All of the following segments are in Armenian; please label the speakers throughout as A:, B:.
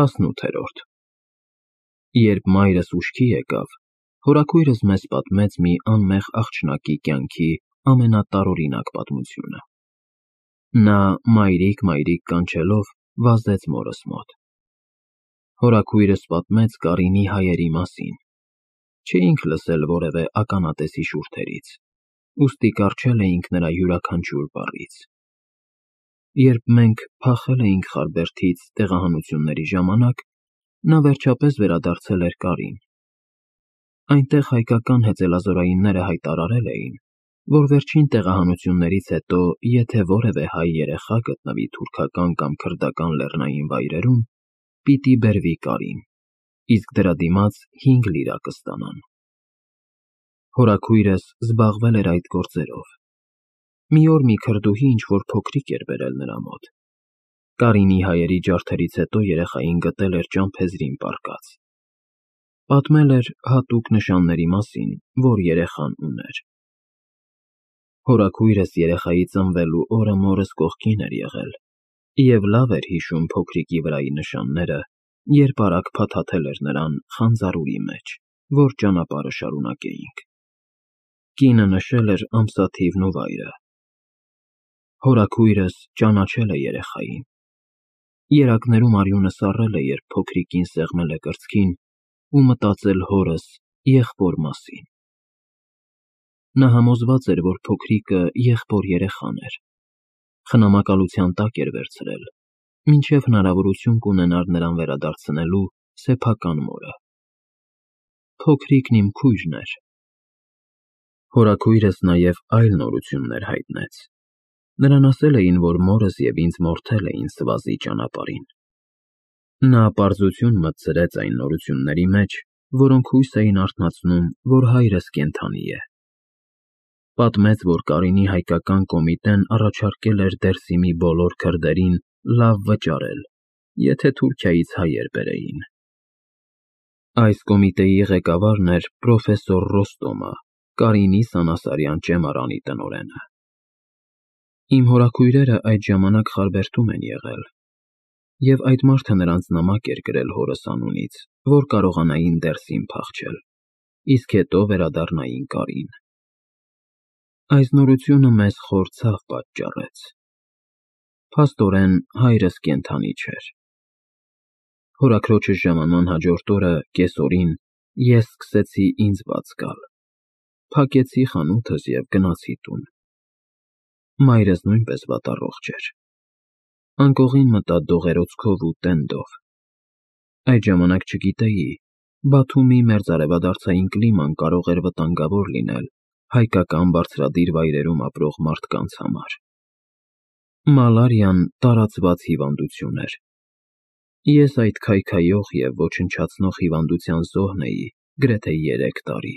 A: 18-րդ Երբ մայրս ուշքի եկավ, հորաքույրս մեզ պատմեց մի անմեղ աղջնակի կյանքի ամենատարօրինակ պատմությունը։ Նա մայրիկ կանչելով վազեց մորս մոտ։ Հորաքույրս պատմեց Կարինի հայերի մասին։ Չէինք լսել որևէ ականատեսի շուրթերից, ուստի կառչել էինք նրա յուրաքանչյուր բառից։ Երբ մենք փախել էինք Խարբերդից տեղահանությունների ժամանակ, նա վերջապես վերադարձել էր Կարին։ Այնտեղ հայկական հեծելազորայինները հայտարարել էին, որ վերջին տեղահանություններից հետո եթե որևէ հայ երեխա գտնվի թուրքական կամ քրդական լեռնային վայրերում, պիտի բերվի Կարին, իսկ դրա դիմաց 5 լիրա կստանան։ Հորաքույրս զբաղվել էր այդ գործերով։ Մի օր մի քրդուհի ինչ-որ փոքրիկ էր բերել նրա մոտ։ Կարինի հայերի ջարդերից հետո երեխային գտել էր ճամփեզրին պառկած։ Պատմել էր հատուկ նշանների մասին, որ երեխան ուներ։ Հորաքույրս երեխայի ծնվելու օրը մորս կողքին էր եղել և լավ էր հիշում փոքրիկի վրայի նշանները, երբ արագ փաթաթել էր նրան խանձարուրի մեջ, որ ճանապարհը շարունակեինք։ Կինը նշել էր ամսաթիվն ու վայրը։ Հորաքույրս ճանաչել է երեխային։ Երակներում արյունը սառել է, երբ փոքրիկին սեղմել է կրծքին ու մտածել հորս, եղբոր մասին։ Նա համոզված էր, որ փոքրիկը եղբոր երեխան էր։ Խնամակալության տակ էր վերցրել, մինչև հնարավորություն կունենար նրան վերադարձնելու սեփական մորը։ Փոքրիկն իմ քույրն էր։ Հորաքույրս նաև այլ նորություններ հայտնեց։ Նրան ասել էին, որ մորս և ինձ մորթել էին Սվազի ճանապարհին։ Նա պարզություն մտցրեց այն նորությունների մեջ, որոնք հույս էին արթնացնում, որ հայրս կենդանի է։ Պատմեց, որ Կարինի հայկական կոմիտեն առաջարկել էր Դերսիմի բոլոր քրդերին լավ վճարել, եթե Թուրքիայից հայեր բերեին։ Այս կոմիտեի ղեկավարն էր պրոֆեսոր Ռոստոմը, Կարինի Սանասարյան ճեմարանի տնօրենը։ Իմ հորաքույրերը այդ ժամանակ Խարբերդում են եղել, և այդ մարդը նրանց նամակ էր գրել հորս անունից, որ կարողանային Դերսիմ փախչել, իսկ հետո վերադառնային Կարին։ Այս նորությունը մեզ խոր ցավ պատճառեց։ Փաստորեն, հայրս կենդանի չէր։ Հորաքրոջս ժամանման հաջորդ օրը, կեսօրին, ես սկսեցի ինձ բաց գալ։ Փակեցի խանութս և գնացի տուն։ Մայրս նույնպես վատառողջ էր։ Անկողին մտա դողերոցքով ու տենդով։ Այդ ժամանակ չգիտեի, Բաթումի մերձարևադարձային կլիման կարող էր վտանգավոր լինել հայկական բարձրադիր վայրերում ապրող մարդկանց համար։ Մալարիան տարածված հիվանդություն էր։ Ես այդ քայքայող և ոչնչացնող հիվանդության զոհն էի գրեթե 3 տարի,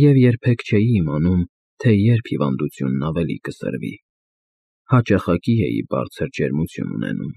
A: և երբեք չէի իմանում, թե երբ հիվանդությունն ավելի կսրվի։ Հաճախակի էի բարձր ջերմություն ունենում։